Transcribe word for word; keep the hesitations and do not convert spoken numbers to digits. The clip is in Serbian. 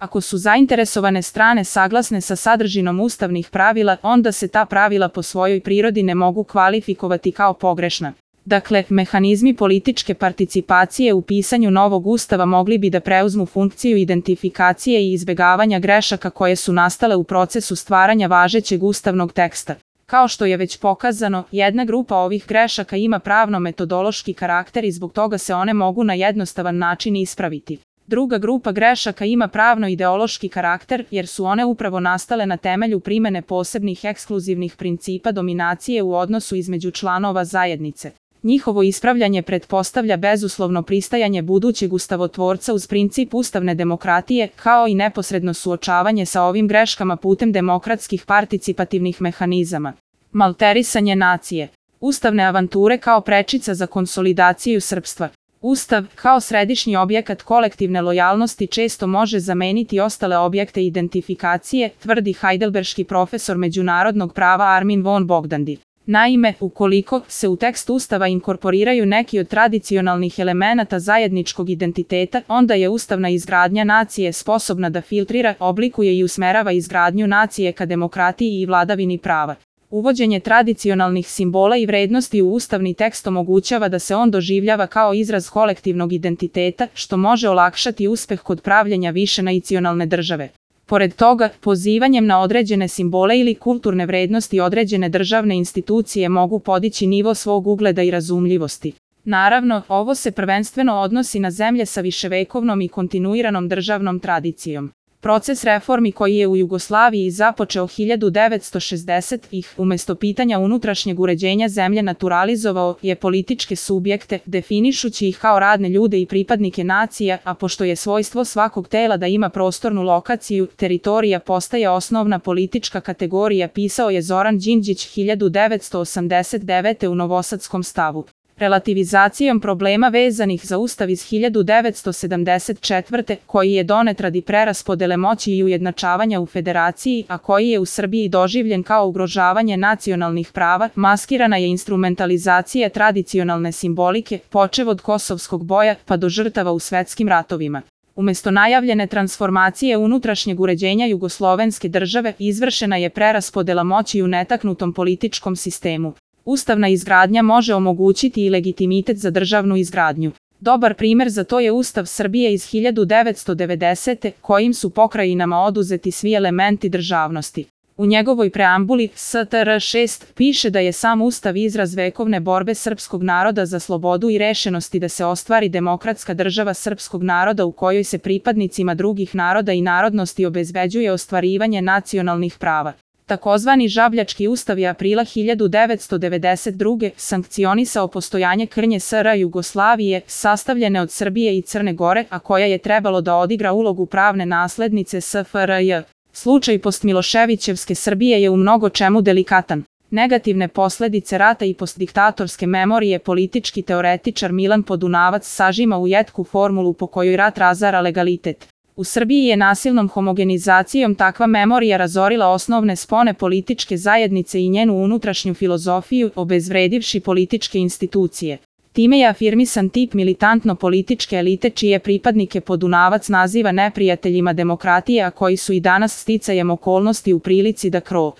Ako su zainteresovane strane saglasne sa sadržinom ustavnih pravila, onda se ta pravila po svojoj prirodi ne mogu kvalifikovati kao pogrešna. Dakle, mehanizmi političke participacije u pisanju novog ustava mogli bi da preuzmu funkciju identifikacije i izbegavanja grešaka koje su nastale u procesu stvaranja važećeg ustavnog teksta. Kao što je već pokazano, jedna grupa ovih grešaka ima pravno-metodološki karakter i zbog toga se one mogu na jednostavan način ispraviti. Druga grupa grešaka ima pravno-ideološki karakter jer su one upravo nastale na temelju primene posebnih ekskluzivnih principa dominacije u odnosu između članova zajednice. Njihovo ispravljanje pretpostavlja bezuslovno pristajanje budućeg ustavotvorca uz princip ustavne demokratije, kao i neposredno suočavanje sa ovim greškama putem demokratskih participativnih mehanizama. Malterisanje nacije. Ustavne avanture kao prečica za konsolidaciju srpstva. Ustav, kao središnji objekat kolektivne lojalnosti, često može zameniti ostale objekte identifikacije, tvrdi hajdelberški profesor međunarodnog prava Armin von Bogdandi. Naime, ukoliko se u tekst Ustava inkorporiraju neki od tradicionalnih elemenata zajedničkog identiteta, onda je ustavna izgradnja nacije sposobna da filtrira, oblikuje i usmerava izgradnju nacije ka demokratiji i vladavini prava. Uvođenje tradicionalnih simbola i vrednosti u ustavni tekst omogućava da se on doživljava kao izraz kolektivnog identiteta, što može olakšati uspeh kod pravljenja višenacionalne države. Pored toga, pozivanjem na određene simbole ili kulturne vrednosti određene državne institucije mogu podići nivo svog ugleda i razumljivosti. Naravno, ovo se prvenstveno odnosi na zemlje sa viševekovnom i kontinuiranom državnom tradicijom. Proces reformi koji je u Jugoslaviji započeo hiljadu devetsto šezdesetih umesto pitanja unutrašnjeg uređenja zemlje naturalizovao je političke subjekte, definišući ih kao radne ljude i pripadnike nacija, a pošto je svojstvo svakog tela da ima prostornu lokaciju, teritorija postaje osnovna politička kategorija, pisao je Zoran Đinđić hiljadu devetsto osamdeset devete u Novosadskom stavu. Relativizacijom problema vezanih za Ustav iz hiljadu devetsto sedamdeset četvrte koji je donet radi preraspodele moći i ujednačavanja u federaciji, a koji je u Srbiji doživljen kao ugrožavanje nacionalnih prava, maskirana je instrumentalizacija tradicionalne simbolike, počev od kosovskog boja pa do žrtava u svetskim ratovima. Umesto najavljene transformacije unutrašnjeg uređenja jugoslovenske države, izvršena je preraspodela moći u netaknutom političkom sistemu. Ustavna izgradnja može omogućiti i legitimitet za državnu izgradnju. Dobar primer za to je Ustav Srbije iz hiljadu devetsto devedesete kojim su pokrajinama oduzeti svi elementi državnosti. U njegovoj preambuli S T R šest piše da je sam Ustav izraz vekovne borbe srpskog naroda za slobodu i rešenosti da se ostvari demokratska država srpskog naroda u kojoj se pripadnicima drugih naroda i narodnosti obezbeđuje ostvarivanje nacionalnih prava. Takozvani Žabljački ustav je aprila hiljadu devetsto devedeset druge sankcionisao postojanje krnje S R Jugoslavije, sastavljene od Srbije i Crne Gore, a koja je trebalo da odigra ulogu pravne naslednice S F R J. Slučaj postmiloševićevske Srbije je u mnogo čemu delikatan. Negativne posledice rata i postdiktatorske memorije politički teoretičar Milan Podunavac sažima u jetku formulu po kojoj rat razara legalitet. U Srbiji je nasilnom homogenizacijom takva memorija razorila osnovne spone političke zajednice i njenu unutrašnju filozofiju, obezvredivši političke institucije. Time je afirmisan tip militantno-političke elite čije pripadnike Podunavac naziva neprijateljima demokratije, a koji su i danas sticajem okolnosti u prilici da kro